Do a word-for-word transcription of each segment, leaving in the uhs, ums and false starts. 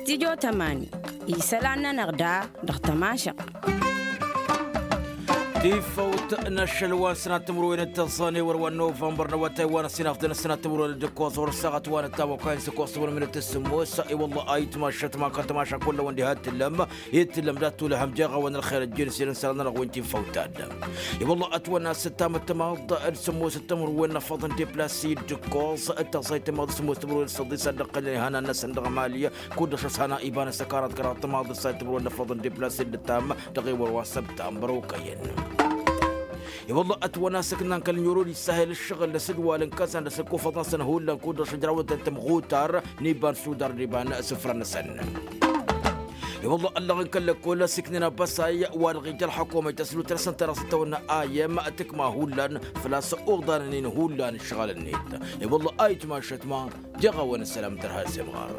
Tidjo tămani isălan-nănăɣ da dăɣ-tămašăɣt. Tifăwt n-ašăl wa n-sănat timǝrwen d-tăẓẓan ewăr wa n-novămbăr n-awătay wa n-ăsinafḍăn ăsănat timǝrwen d-ǝkkoẓ wăr-ăssaɣăt wa n-ăttamăkay n-săkoẓ timǝrwen d-tǝssǝmmos. I-wălla a itmašăt ma kăl-tamaša kull-ăwăn diha t-tǝllăm i-tǝllăm dat-tulăhăm jeɣ-awăn ălxer ăjjǝn s-ilăn sălan-nănăɣ wi n-tifăwt ta-dd. I-wălla ătwănna s-ǝttamăt tamaḍt d-sǝmmos d-timǝrwen n-afăḍ n-deplasi d-ǝkkoẓ d-taẓẓayt tamaḍt d-sǝmmos timǝrwen d-săḍis ad-dd-ăqqălnen ihănan-năsăn dăɣ-mali. Kud-dăɣ šăsana iba n-asăkarat kăraḍ tamaḍ d-săḍis timǝrwen n-afăḍ n-deplasi d-ǝttam dăɣ-ewăr wa n-săbtambăr okăyăn. I-wălla ătwănna s-ǝknan kăl-nǝrori s-ahel ǝššăɣǝl n-asǝdwal n-kăsan d-asǝkkufăḍ-năsăn hullan kud-dăɣ šăjrawătăn tămɣutar n-iba n-sudar n-iba n-isǝfra-năsăn. I-wălla ăllăɣ n-kăl-lăkkol s-iknen abăsay wa dăɣ-ija ălḥăkumăy tăslut-năsăn ta dăɣ-s tăwănna a i-m tǝkma hullan făl-a-s oḍanăn-in hullan ǝššăɣǝl-net. I-wălla a itmašăt ma jeɣ-awăn ăssălam tărha s-imɣar.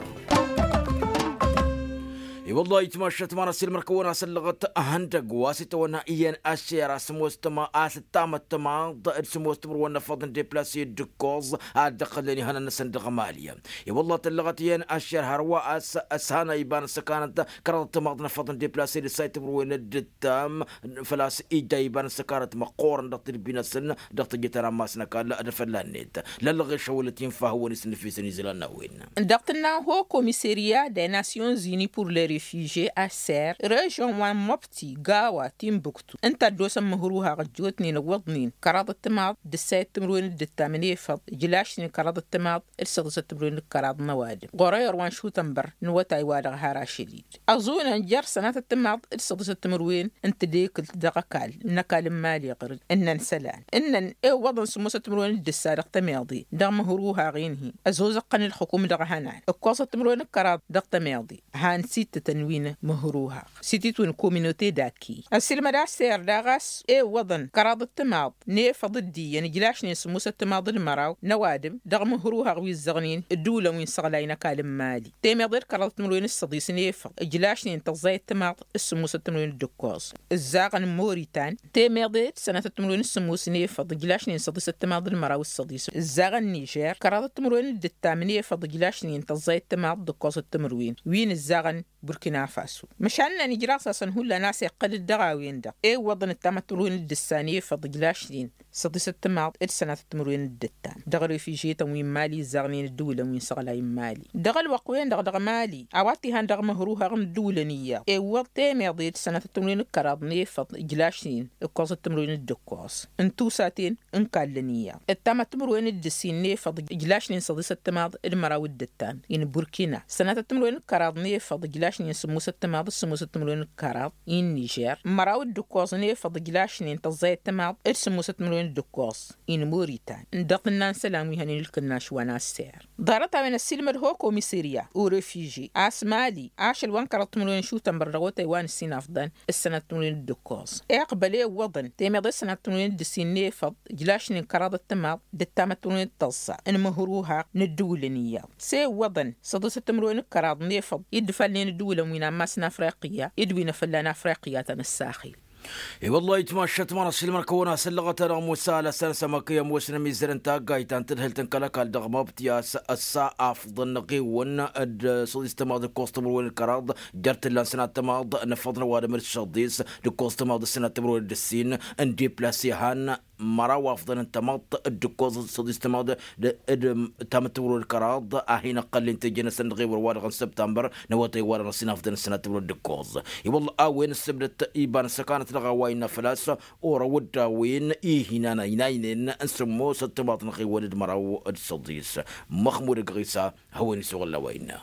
I-wălla a itmašăt ma n-asǝlmăr-kăwăn a-s ăllăɣăt ihăndăgg wa s-itawănna iyyăn ašer a-s ămoos tăma a-s ǝttamăt tămaḍ d-sǝmoos timǝrwen n-afăḍ n-deplasi d-ǝkkoẓ ad-dd-ăqqălnen ihănan-năsăn dăɣ-mali. I-wălla tăllăɣăt iyyăn ašer hărwa a-s ăshana iba n-ăssăkanăt kăraḍăt tamaḍ n-afăḍ n-deplasi d-ǝssay timǝrwen d-ǝttam făl-a-s ija iba n-ăssăkanăt măqqoorăn dăɣ-tǝdbi-năsăn dăɣ-teje ta n-ammas n-ăkall d-afălla-net. Lăllăɣešăwălăt infa hawăn-isnǝfisăn izlan n-a-wen. Dăɣ-tǝnna ho komiseriya de nasyonzini pur le refiže aser režyon wa n-mobti gawa timbuktu ǝnta a dd-osăn măhruhaɣ ăjjootnen ǝwwăḍnen kăraḍăt tamaḍ d-ǝssayăt timǝrwen d-ǝttam n-efăḍ ǝjlašnen kăraḍăt tamaḍ d-săḍisăt timǝrwen d-kăraḍ n-ăwadǝm ɣur-eyăr wa n-šutănbăr n-awătay-wa-dăɣ har ašăl-dd. Ăẓunăn jer-sănatăt tamaḍ d-săḍisăt timǝrwen n-tedekǝlt dăɣ-ăkall n-ăkall n-imali ɣǝr-dd ǝnnăn isălan ǝnnăn ewwăḍăn sǝmmosăt timǝrwen d-ǝssa dăɣ-tămeḍe dăɣ-măhruhaɣ-in-hi ăzozăɣ-tăn ǝlxǝkum dăɣ-ehănan ǝkkoẓăt timǝrwen d-kăraḍ dăɣ-tămeḍe. Han sittătăn wi n-măhruhaɣ s-ititwǝn kominote d-aki ăssiilmăd aser daɣ a-s ewwăḍăn kăraḍăt tamaḍ n-efăḍ d-iyyăn ǝjlašnen sǝmmosăt tamaḍ d-măraw n-ăwadǝm dăɣ-măhruhaɣ wi ǝzzăɣnen ǝddǝwǝlăn wi n-săɣlay n-ăkall n-imali. Temeḍe d-kăraḍăt timǝrwen s-săḍis n-efăḍ ǝjlašnen tăẓẓayăt tamaḍ s-sǝmmosăt timǝrwen d-ǝkkoẓ ǝzzaɣăn n-moritan. Temeḍe d-sănatăt timǝrwen s-sǝmmos n-efăḍ ǝjlašnen săḍisăt tamaḍ d-măraw s-săḍis ǝzzaɣăn n-nižer kăraḍăt timǝrwen d-ǝttam n-efăḍ ǝjlašnen tăẓẓayăt tamaḍ d-ǝkkoẓăt timǝrwen wi n-ǝzzaɣăn burkina faso. Măšan ǝnnan ijraẓ-asăn hullan a-s iqqăl-dd dăɣ-a-wen-dăɣ ewwăḍăn ǝttamăt timǝrwen d-ǝssa n-efăḍ ǝjlašnen săḍisăt tamaḍ d-sănatăt timǝrwen d-ǝttam dăɣ-refižetăn wi n-mali ǝzzaɣnen ǝddǝwǝlăn wi n-săɣlay n-mali. Dăɣ-ălwăqq-wen-dăɣ dăɣ-mali a-wa t-ihan dăɣ-măhruhaɣ n-ǝddǝwǝlăn iyyăḍ ewwăḍ temeḍe d-sănatăt timǝrwen d-kăraḍ n-efăḍ ǝjlašnen ǝkkoẓăt timǝrwen d-ǝkkoẓ n-tusaten n-kallăn iyyăḍ ǝttamăt timǝrwen d-ǝssin n-efăḍ ǝjlašnen săḍisăt tamaḍ d-măraw d-ǝttam-in burkina sănatăt timǝrwen d-kăraḍ n-efăḍ ǝjlašnen sǝmmosăt tamaḍ d-sǝmmosăt timǝrwen d-kăraḍ-in nižer măraw d-ǝkkoẓ n-efăḍ ǝjlašnen tăẓẓayăt tamaḍ d-sǝmmosăt timǝrwen d-ǝkkoẓ-in moritan. Dăɣ-tǝnna n-isălan wi hănen ǝlkǝnnaš wa n-asser ḍarăt-a-wen ăssiilmăd ho komisirya u-refiže a-s mali ašăl wa n-kăraḍ timǝrwen šutănbăr dăɣ-awătay wa n-ǝssin afḍăn ǝssănăt timǝrwen d-ǝkkoẓ iqbăl ewwăḍăn temeḍe s-sănăt timǝrwen d-ǝssin n-efăḍ ǝjlašnen kăraḍăt tamaḍ d-ǝttamăt timǝrwen d-tăẓẓa n-imǝhruhaɣ n-ǝddǝwǝlăn iyyăḍ s-ewwăḍăn săḍisăt timǝrwen d-kăraḍ n-efăḍ i-dd-fălnen ǝddǝwǝlăn wi n-ammas n-afriqya d-wi n-afălla n-afriqya ta n-ăssaxil. I-wăllah itmašat ma n-ašilmăr kăwăn-asăllăɣăt ad-dăɣ-musa alăssan s-amăkăy ămoosnăm izărăn taggayt ta n-tadhǝlt n-kăl-ăkall dăɣ-mabtiyas ăssa afḍăn ăɣewăn d-săḍis tămaḍ d-ǝkkoẓ timǝrwen d-kăraḍ jer-t ǝllan sănat tămaḍ n-afăḍ n-ăwadǝm d-săḍis d-ǝkkoẓ tămaḍ d-sănat timǝrwen d-ǝssin n-deplasi han măraw afḍăn n-tămaḍt d-ǝkkoẓ d-săḍis tămaḍ d-ǝttamăt timǝrwen d-kăraḍ a hin-ăqqălnen teje-năsăn dăɣ-ewăr-wa-dăɣ n-săbtambăr n-awătay-wa-dăɣ n-ăssin afḍăn n-sănat timǝrwen d-ǝkkoẓ. I-wălla a-wen ǝssǝbdăt iba n-ăssăkanăt dăɣ-a-wa innă făl-a-s orăw dd-a-wen ihinan ăynaynen n-sǝmmosăt tamaḍt n-aɣewăn d-măraw d-săḍis. Măxmud ăgg-ɣisa hawăn-isuɣǝl a-wa innă.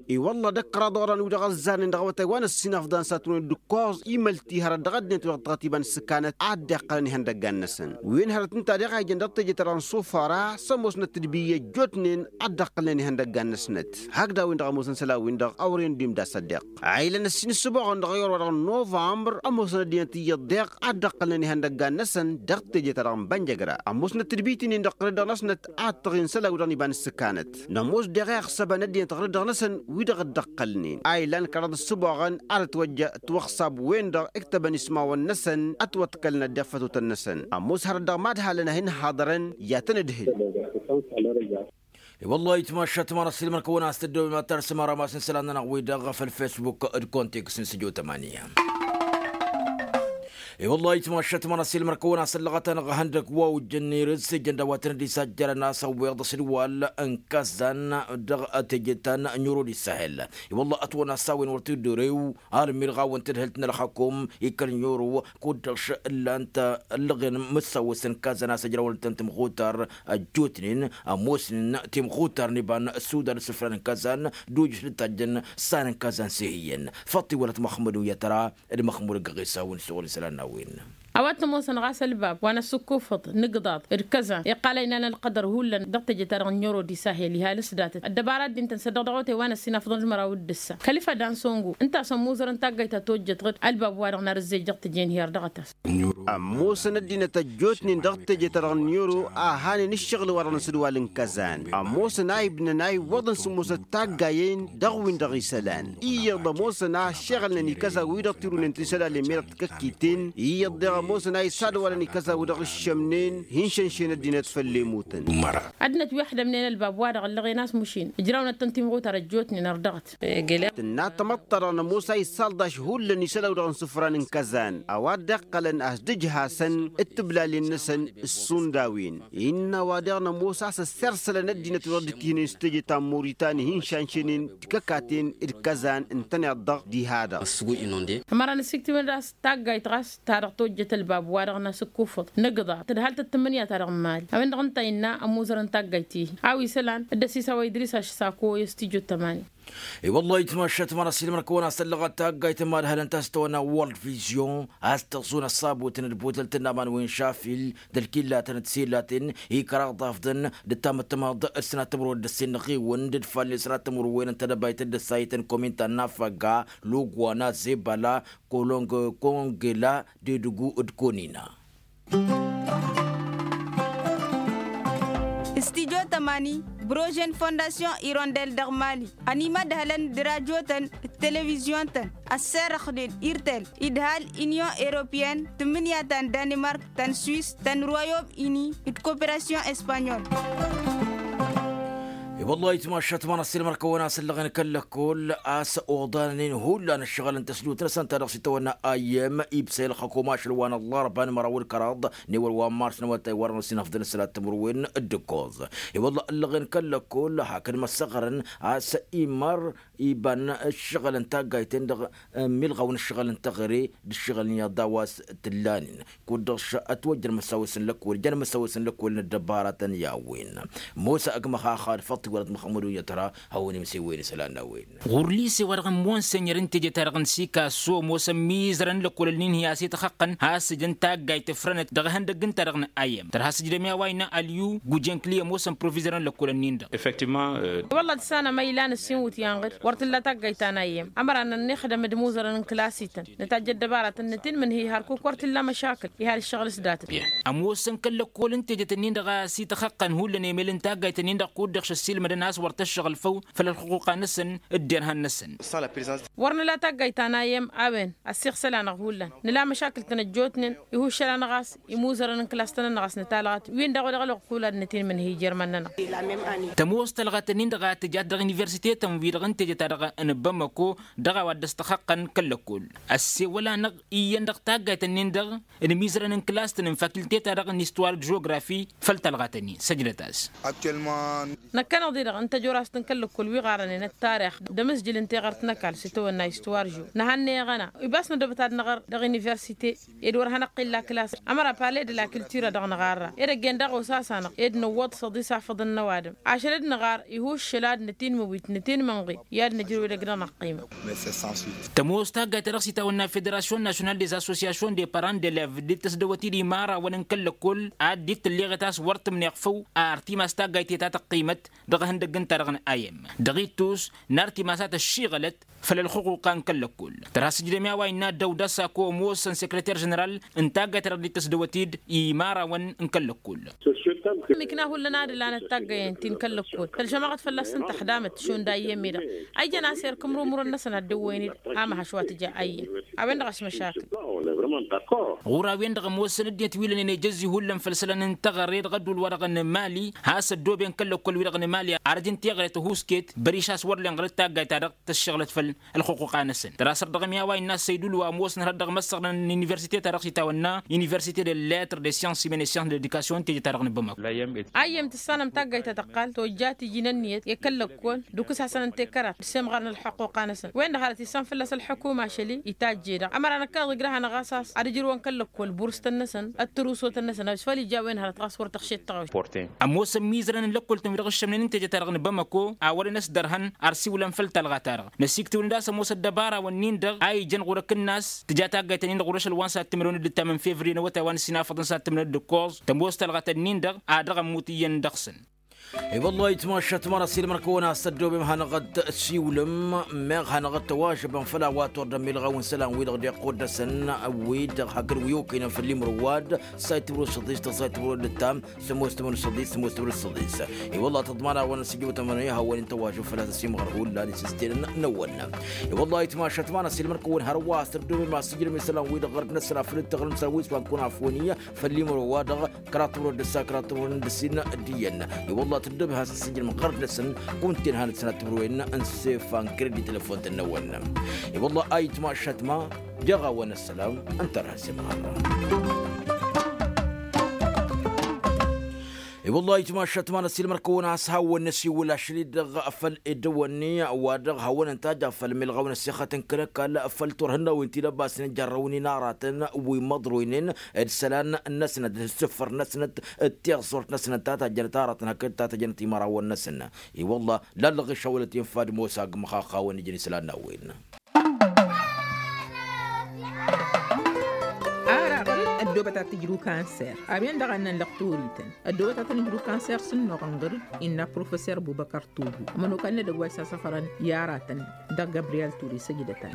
I-wălla d-ăkkăraḍ oran wi-dăɣ ăzzarnen dăɣ-awătay wa n-ăssinafḍan s-ad-tǝnwen d-ǝkkoẓ imălti hărăt dăɣ-ăddinăt wi-dăɣ tăɣăt iba n-ǝssǝkanăt ad-dd-iqqălăn ihăndăggan-năsăn wi n-hărăt ǝnta deɣ a ijăn dăɣ-teje-ta-dăɣ n-sufara s-ămoosnăt d-ibi ăjjootnen ad-dd-ăqqălnen ihăndăggan-năsnăt. Hakd a-wen-dăɣ ămoosăn isălan-win-dăɣ a wăren dd-imda s-ăddeɣ a ilăn ăssin ǝssǝboɣăn dăɣ-ewăr wa dăɣ-novămbăr ămoosăn ăddinăt iyyăḍ deɣ ad-dd-ăqqălnen ihăndăggan-năsăn dăɣ-teje-ta-dăɣ n-bănjăgra. Ămoosnăt tǝdbit-nin-dăɣ ɣǝrǝddăɣ-năsnăt ad-tăɣin isălan-wi-dăɣ n-iba n-ǝssǝkanăt. Nămoos deɣ iɣsăbăn ăddinăt ɣǝrǝddăɣ-năsăn wi-dăɣ dd-ăqqălnen a ilan kăraḍ ǝssǝboɣăn ad-ătwăjja ătwăɣsab-wen-dăɣ ǝktăbăn ismawăn-năsăn ătwăḍkălnăt dăɣ-fătutăn-năsăn. Ămoos hărăt dăɣ-mad-halăn a hin-haḍărăn i-ad-tăn-ǝdhǝl. I-wăllah itmašat măra s-ilmăn kăwăn-as tăddăwem ad-tarsăm arămas n-isălan-nănăɣ-wi-dăɣ ɣăf ălfesbuk d-kontiks n-săjo tămani. I-wăllah itmašat măra s-ilmăn kăwăn-as ăllăɣăt-anăɣ ihăndăg wa ujjăn irǝs ijăn dawatăn d-isajjărăn a-s ăwweḍ s-dd-wal n-kăzzan dăɣ-teje ta n-nyuro d-isahel. I-wăllah ătwăn-as s-a-wen wăr t-dd-orew almirɣawăn tadhǝlt n-ălxakum ikăl nyuro kud-dăɣ š-ǝllan-t ăllăɣen mǝssawăsăn kăzzan a-s ăjrawăn-tăn timɣutar ăjjootnen ămoosnen timɣutar n-iba n-ăssudar s-ǝfran n-kăzzan d-ujǝš d-tajjăn s-an n-kăzzan s-ehǝyyăn. Făṭṭ iwălăt măxmud n-yatăra d-măxmud ăgg-ɣisa a-wen s-oɣǝl isălan n-a-wen. A-wa t-ămoosăn ɣas ălbab wa n-ăssǝkkufăḍ n-igḍaḍ d-kăzan iqqal a inan ălqădăr hullan dăɣ-teje-ta-dăɣ n-nyăro d-isahel iha lăsdatăt ăddăbara dd-intăn s-ăddoɣ dăɣ-otay wa n-ăssinafăḍăn d-măraw d-ǝssa kăl-ifădan songu ǝnta a-s ămmuzărăn taggayt ta tojjăt ɣǝd ălbab-wa-dăɣ n-ar ǝzzej dăɣ-teje n-hi-ărdăɣăt-as. Ămoosăn ăddinăt ăjjootnen dăɣ-teje-ta-dăɣ n-nyăro a hanen ǝššăɣǝl-wa-dăɣ n-asǝdwal n-kăzan ămoosăn a ibnăn a iwwăḍăn s-ămoosăt taggayen dăɣ-win-dăɣ isălan iyyăḍ ămoosăn a ăššeɣălnen ikăzan-wi-dăɣ tirunen ti isălan i-medăɣ tikăkkiten iyyăḍ deɣ ămoosăn a isadwalăn ikăzan-wi-dăɣ ǝššămnen hi-inšănšen ăddinăt făll-emutăn. Ăddinăt wi ăḥdămnen ălbab-wa-dăɣ ăllăɣen a-s mušin ǝjrawnăt-tăn timɣutar ăjjootnen ărdăɣăt. Tǝnna tamăḍt-ta-dăɣ nămoos a issalḍaš hullan isălan-wi-dăɣ n-isǝfran n-kăzan a-wa dd-iqqălăn a-s dd-ǝjhasăn d-tǝblalen-năsăn s-sundawen innă a-wa daɣ nămoos a-s ăssirsălăn ăddinăt-wi-dăɣ dd-ǝkihnen s-teje ta n-moritani hi-inšanšenen tikăkaten d-kăzan ǝntăneḍ-dăɣ diha-dăɣ. Ămăra n-ăsiktiwăn d-a-s taggayt ɣas ta dăɣ-tojjăt ălbab-wa-dăɣ n-asǝkkufăḍ n-igḍaḍ tǝdhal tăt-tǝmmǝnǝya-ta-dăɣ n-imali a-wen-dăɣ ǝnta a innă ămuzărăn taggayt-i-hi a-wa isălan dd-ăsisawa idris a-s s-ako i-stujo tămani. I-wăllah itmašat măra s-ilmăn kăwăn-as tăllăɣăt taggayt n-imadhălăn ta s-tăwănna world vision a-s tăẓun ăṣṣabutăn d-butălt n-aman wi n-šafil d-ălkillatăn d-silatăn ikăraḍ afḍăn d-tamăttămaḍ d-sănat timǝrwen d-ăssinnăɣ-iwăn d-dd-falli sănat timǝrwen n-tedăbayt d-ăssayăt n-kominta n-afăgga lugwana zebala kolong kongela d-edǝgu d-konina. Stijo tămani brožen fondasyon irondel dăɣ-mali ănimădhălăn d-rajotăn d-televizyun-tăn ăsserăxnen irtel idhal inyon europeyăn tǝmmǝnǝya ta n-danimark ta n-swis ta n-royom ini d-koperasyon espanyol. I-wăllah itmašat măra s-ilmăn kăwăn-as ăllăɣen kăl-lăkkol a-s oḍanănen hullan ǝššăɣǝl n-tăsdut-năsăn ta dăɣ-s itawănna ayyăm ibsăy ălxăkum ašăl wa n-ăllarba n-măraw d-kăraḍ n-ewăl wa n-mars n-awătay wa dăɣ-năsinăfḍăn s-sănat timǝrwen d-ǝkkoẓ. I-wăllah ăllăɣen kăl-lăkkol hakd măssăɣrăn a-s imar iba n-ǝššăɣǝl n-taggayten dăɣ-milɣaw n-ǝššăɣǝl n-teɣăre d-ǝššăɣǝl n-iyyăḍ a-wa s-t-ǝllanen kud-dăɣ š-ătwăjjăn măsawăs n-lăkkol jăn măsawăs n-lăkkol n-ăddăbaratăn i-a-wen. Mosa ăgg-măxaxad făṭṭ iwălăt măxămmăd unyătra hawăn-imsewen isălan n-a-wen. Ɣur-lise wa dăɣ-n monsenyăr n-teje-ta-dăɣ n-sikaso ămoosăn mizărăn lăkkolăn-in-hi a-s itxăqqăn has-ǝjǝn taggayt ǝfrănăt dăɣ-ihăndăgg ǝnta-dăɣ n-ayyăm tărha s-ǝjdăm i-a-wa innă ălyuw gujănkli ămoosăn provizărăn lăkkolăn-in-dăɣ. Effectivement. Wălla d-sănăm a ilan ǝssin iwǝtyan ɣǝd wăr t-illa taggayt ta n-ayyăm ămăra n-ănnixdăm d-imuzărăn n-klas-ităn nǝtajj ăddăbaratăn nǝtinmǝnhǝy hărkuk wăr t-illa măšakǝl ihal ǝššăɣǝl s-datăt. Ămoosăn kăl-lăkkolăn tejet-nin-dăɣ a-s itxăqqăn hullan emel n-taggayt-nin-dăɣ kud-dăɣ šăssilmădăn a-s wăr t-ăššăɣǝl făw făll-ălxuquqa-năsăn d-derhan-năsăn. Wăr nǝla taggayt ta n-ayyăm a-wen ăssiɣsăl-anăɣ hullan nǝla măšakǝl-tăn ăjjootnen ihuššăl-anăɣ a-s imuzărăn n-klas-tăn-ănɣăs n-talɣat win-dăɣ wa dăɣ-ălwăqq hullan nǝtinmǝnhǝy jer-iman-nănăɣ. Tămoos talɣat-nin-dăɣ a tǝjat dăɣ-universite-tăn-wi-dăɣ n-teje-ta-dăɣ n-bamako dăɣ-a-wa dd-ăstăxăqqăn kăl-lăkkol ăssewăl-anăɣ iyyăn dăɣ-taggayt-nin-dăɣ n-imizărăn n-klas-tăn n-fakilte-ta-dăɣ n-istwar d-žografi făll-talɣat-nin săjdăt-as. Năkkăneḍ-i-dăɣ n-tăjorast n-kăl-lăkkol wi ɣarănen ăttarix d-amǝzjǝl n-teɣărt n-ăkall s-itawănna istwar žo nǝhannăyăɣ-anăɣ ibas nădobăt ad-năɣăr dăɣ-universite ed wăr hanăɣ-t-illa klas ămăra pale d-la kiltira dăɣ-năɣarra edăgg-en daɣ osasanăɣ ed nǝwwăḍ s-ăḍisafăḍăn n-ăwadǝm ašăl d-năɣar ihuššăl ad-nătinmǝwit nătinmǝnɣi i-ad-năjrǝw edăgg-nănăɣ ăqqimăt. Tămoos taggayt ta dăɣ-s itawănna federasyon national des associations des parents d-elevs dd-tăsdăwăt-dd imarawăn n-kăl-lăkkol ad-dd-tǝlleɣet a-s wăr tǝmneɣ făw ar timas taggayt ta tăqqimăt dăɣ-ihăndăgg ǝnta-dăɣ n-ayyăm dăɣ-ittus n-ar timasat ăššiɣălăt făll-ălxuquqa n-kăl-lăkkol. Tărha s-ǝjdăm i-a-wa innă dăw-dăɣ s-ako ămoosăn sekreter ženeral n-taggayt ta dăɣ-dd-tăsdăwăt imarawăn n-kăl-lăkkol. Mikna hullan ad-ǝlanăt taggayen ti n-kăl-lăkkol tălžămăɣăt fălla-săn tăxdamăt šund ayyăm-i-dăɣ a ijăn a-s erk ǝmrǝmrăn-năsăn ad-dăwwăyăn-dd amăhăš wa tǝja ayyăm a-wen-dăɣ a-s măšakǝl. Ɣur-a-wen-dăɣ ămoosăn ăddinăt wi lănen ejăzzi hullan făll-isălan n-teɣăre dăɣ-ădduul-wa-dăɣ n-mali has-ăddooben kăl-lăkkol-wi-dăɣ n-mali, arăj n-teɣăre tăhuusket băriš a-s wăr len ɣăr-dd taggayt-ta-dăɣ tăššăɣlăt făll-ălxuquqa-năsăn. Tărasăr dăɣ-mi a-wa innă a-s ăydul wa ămoosăn hărăt dăɣ-imăssăɣrăn n-universite-ta-dăɣ s-itawănna universite de lettre de science imene science de education teje-ta-dăɣ n-bamako. Ayyăm tǝssanăm taggayt ta tăqqal tojjat iji n-ǝnniyăt i-kăl-lăkkol d-ukǝs hasăn-ănta i-kărat d-semɣar n-ălxuquqa-năsăn wen-dăɣ hărăt issan fălla-s ălḥukuma ašăl-i itajje-dăɣ ămăra năkk a dăɣ-ijrăh hanăɣ-as a-s ad-ǝjrǝwăn kăl-lăkkol burstăn-năsăn d-tărusotăn-năsăn a-s făl ija a-wen hărăt ɣas wăr tăɣšet tăɣawit. Ămoosăn imizărăn n-lăkkol-tăn wi-dăɣ ǝššămnen n-teje-ta-dăɣ n-bamako a wărăn ăsdărhăn ar siwǝlăn făll-talɣa-ta-dăɣ năsiktǝwǝl-dd a-s ămoos ăddăbara-wăn-nin-dăɣ a ijen ɣur-ăkǝnnas tǝja taggayt-nin-dăɣ ɣur-ašăl wa n-sattǝmrăwăn d-ǝttam n-fevriye n-awătay wa n-ăsinafăḍ n-sattǝmrăwăn d-ǝkkoẓ tămoos talɣa-tăn-nin-dăɣ a dăɣ-ămmut iyyăn dăɣ-săn. I-wăllah itmašat măra s-ilmăr-kăwăn a-s tăddoobem hanăɣ-dd-siwlăm meɣ hanăɣ-dd-tăwažăbăm făll-a-wa tordăm milɣaw n-isălan-wi-dăɣ deqq oddăsăn wi-dăɣ hakd wi okăynăm făll-imrǝwwad. Sayt timrǝw săḍis tăɣ sayt timrǝw d-ǝttam sămoos timrǝw săḍis sămoos timrǝw săḍis. I-wăllah tăḍman-awăn ăsijăwtăm ănăyăh a-wen n-tăwažăb fălla-s ăsimɣăr hullan isǝstǝlăn n-ăwwănnăm. I-wăllah itmašat măra s-ilmăr-kăwăn hărwa a-s tăddoobem a-s ǝjrăm isălan-wi-dăɣ ɣărd-năsăn afăl dd-tăɣrǝm s-a-wi s-wa n-kăwăn afwăniyya făll-imrǝw wa-dăɣ kăraḍ timrǝw d-ǝssa kăraḍ timrǝw d-ǝssin d-iyyăn. I-wălla tăddobem has-ǝssǝjrǝm ɣărd-năsăn kunta-en hanăt-sănat timrǝwen n-sefa n-kredit telefon-tăn n-ăwwănnăm. I-wălla a itmašat ma jeɣ-awăn ăssălam ǝnta ar has-imɣarrăm. I-wălla itmašat ma n-ăssiilmăr-kăwăn a-s hawăn-năsiwǝl ašăl-i-dăɣ făll-edăwănni-wa-dăɣ hawăn-ăntajjaf făll-milɣaw n-ăssixăt n-kăl-ăkall făll-turhǝnnawen ti n-ăbasnen jarrăwăn-in aratăn wi măḍroynen d-isălan-năsnăt d-isǝffăr-năsnăt d-tiẓẓurt-năsnăt ta tajjănăt aratăn hakd ta tajjănăt imărawăn-năsăn. I-wălla lallăɣ išawălăt infa d-mosa agg măxaxawăn ijăn isălan n-a-wen. Ara ɣăr-dd ăddoobăt ad-t-ǝjrǝw kanser a-wen-dăɣ a ǝnnăn lăqtorităn ăddoobăt ad-tăn-ǝjrǝw kanser s-ǝnnuɣăn ɣăr-dd innă professer bubăkăr togo ămănokal n-edăgg wa isasăfărăn i-aratăn dăɣ-gabriyel ture săjdăt-as.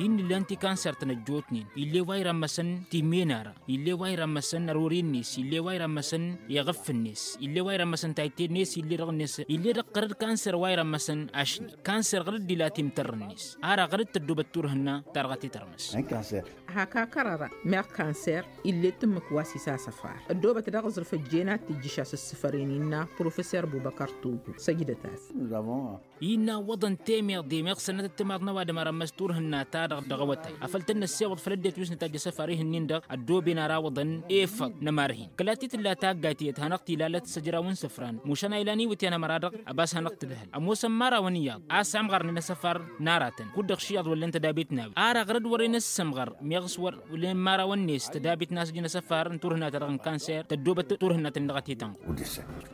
Hin-nǝllan ti kanser-tăn ăjjootnen ill'-e wa irammăsăn timmen ara ill'-e wa irammăsăn ărori-net ill'-e wa irammăsăn iɣǝff-net ill'-e wa irammăsăn tayte-net ill'-e dăɣ-net ill'-e dăɣ-ɣăr-dd kanser wa irammăsăn ašni kanser ɣăr-dd ila timtărr-net. Ara ɣăr-dd tăddobăt turhǝnna ta dăɣ-a t-tărmăs. Hak akăr ara meɣ kanser ill'-e tǝmmǝk wa s-isasăfar ăddoobăt dăɣ-aẓrǝf ăjjeen ad-t-ǝjjǝš asǝssǝfăren innă professer bubăkăr togo săjdăt-as. Innă iwwăḍăn temeḍe meɣ sănnătăt timaḍ n-ăwadǝm ara n-măs turhǝnna-ta-dăɣ dăɣ-awătay afăl tăn-năssewăḍ făll-ăddinăt wi s-nǝtajj asăfar ihǝnnin-dăɣ ăddooben ara iwwăḍăn efăḍ n-ămarhin kăla t-tǝlla taggayt tiyyăt hanăɣ-t ilalăt s-ăjraw n-isǝfran mušan a ilan iwǝtyan ămăra-dăɣ. Ăbas hanăɣ-t-ǝdhăl ămoosăn imărawăn iyyăḍ a-s amɣărnen asăfar n-aratăn kud-dăɣ šiyyăḍ wăllen tădabit n-a-wen ara ɣăr-dd wărren ăssămɣăr meɣ s-wăr wăllen imărawăn-net tădabit n-a-s ǝjǝn asăfar n-turhǝnna-ta-dăɣ n-kanser tăddoobăt turhǝnna-tăn-in dăɣ-a t-tănɣul.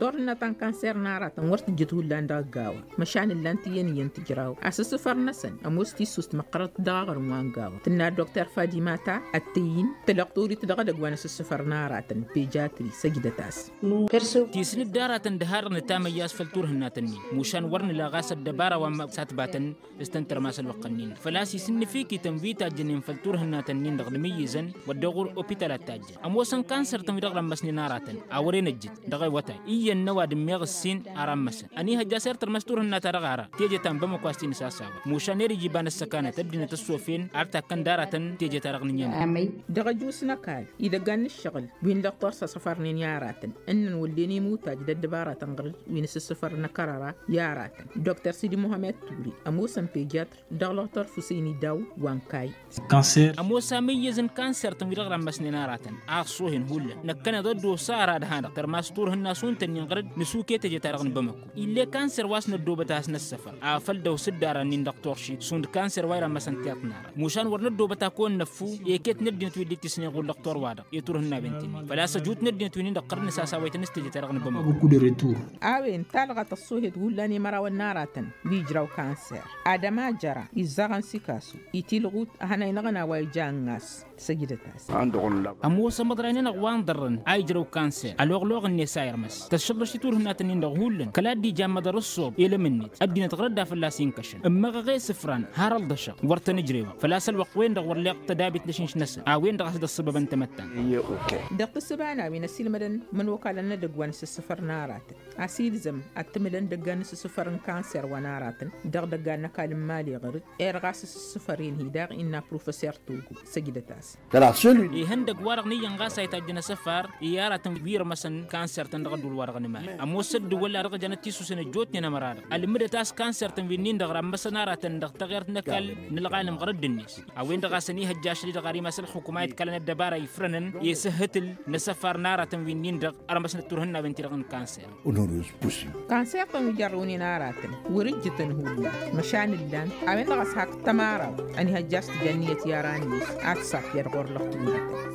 Turhǝnna ta n-kanser n-aratăn wăr tǝjjǝt hullan dăɣ-ăgg-a-wa măšan ǝllan-t iyyăn iyyăn tǝjraw asǝssǝfăr-năsăn ămoos tissust măqqărăt dăɣ-aɣrǝm wa n-gawa tǝnna dokter fadimata ăttăyy-in tălăqtorit dăɣ-edăgg wa n-asǝssǝfăr n-aratăn pejatri săjdăt-as. Tisnǝd d-aratăn dăha-dăɣ nǝtamăyya a-s făll-turhǝnna-tăn-in mušan wăr nǝla ɣas ăddăbara wa n-satbatăn s-tăn-tărmas ălwăqq-ǝnnin făl-a-s isǝnnǝfikităn wi tajjănen făll-turhǝnna-tăn-in-dăɣ d-imǝyyǝzăn wădden ɣur-opital ad-tajjăn ămoosăn kanser-tăn wi-dăɣ rămmăsnen aratăn a wăren ăjjǝt dăɣ-awătay iyyăn n-ăwadǝm meɣ ǝssin ara ămmăsăn ănihăjja a-s irtărmăs turhǝnna-ta-dăɣ ara teje ta n-bamăko a-s t-inǝsasawăn mušan ere iji iba n-ăssăkanăt ăddinăt ăssofen ar takkăn d-aratăn teje-ta-dăɣ n-iyyăn. Dăɣ-ăjus n-ăkall idăggan n-ǝššăɣǝl wi n-lăqtor s-asăfărnen i-aratăn ǝnnăn wăllen imutaj d-ăddăbaratăn ɣăr-dd wi n-asǝssǝfăr n-akărăra i-aratăn dokter sidi muhammed turi ămoosăn pejatr dăɣ-lăqtor fusăyni daw wa n-kayy. Ămoos amǝyyăz n-kanser-tăn wi-dăɣ rămmăsnen aratăn a ăṣṣoohen hullan năkkăneḍ ăddoos ara d-hanăɣ-tărmas turhǝnna šund-tăn-in ɣăr-dd nǝsuke teje-ta-dăɣ n-bamăko ill'-e kanser wa s-năddoobăt a has-năssăfăr afăl dăw-s dd-aran-in dăɣ-turši šund kanser wa irămmăsăn tiṭ n-ara mušan wăr năddoobăt a kăwăn-năffu eket n-ăddinăt wi dd-ittisnen ɣur-lăqtor-wa-dăɣ i-turhǝnnawen-t-in făl-a-s ăjut n-ăddinăt wi-nin-dăɣ ɣăr-dd nǝsasawăytăn s-teje-ta-dăɣ n-bamăko. A-wen talɣa tăṣṣoohet hullan i-mărawăn n-aratăn wi ǝjraw kanser adăma jăra izzaɣăn s-ikasu itilɣut ăhănaynăɣăn a-wa ija ănnas. Săjdăt-as. Ămoos amăḍray-nănăɣ wa n-ḍărrăn a ijrăw kanser ăloɣloɣ-net a irmăs tăššăḍrăš i-turhǝnna-tăn-in-dăɣ hullan kăla dd-ija ămmăḍăr ǝṣṣob elăm-net ăddinăt ɣăr-dd a fălla-s inkăšăn ǝmmăɣăɣ i-isǝfran har ălḍăšăɣ wăr tăn-ǝjrewăɣ făl-a-s ălwăqq-wen-dăɣ wăr leɣ tădabit n-ašǝnš-năsăn a-wen-dăɣ a-s dd-ăṣṣăbăbăn tamăttant. Dăɣ-tǝssǝba n-a-wen ăsiilmădăn imănokalăn n-edăgg wa n-asǝssǝfăr n-aratăn a-s ilzăm ad-tǝmǝlăn dăggan n-asǝssǝfăr n-kanser wa n-aratăn dăɣ-idăggan n-ăkall n-imali ɣăr-dd. Erɣ asǝssǝfăr-en-hi daɣ innă professer togo. Săjdăt-as. Ihăndăg-wa-dăɣ n-iyyăn ɣas a itajjăn asăfar i-aratăn wi irmăsăn kanser-tăn dăɣ-ădduul-wa-dăɣ n-iman. Ămoos ăddǝwăl-a-dăɣ jănăt tisusen ăjjootnen ămăra-dăɣ ălmǝdăt a-s kanser-tăn wi-nin-dăɣ rămmăsăn aratăn dăɣ-teɣert n-ăkall n-ălɣalăm ɣur-ăddǝnet. A-wen-dăɣ a-s ănihăjja ašăl-i-dăɣ ar imas ălxukuma iḍkălăn ăddăbara ifrănăn i-sǝhhǝtǝl n-asăfar n-aratăn wi-nin-dăɣ ărmăsnăt turhǝnnawen-ti-dăɣ n-kanser. Kanser-tăn wi jărrăwnen aratăn wăr-ǝjjǝtăn hullan măšan ǝllan. A-wen-dăɣ a-s hak tămaraw ănihăjja a-s tǝja ǝnniyăt i-aran-net ad-t-safyăd ɣur-lăxtǝwǝnătăn.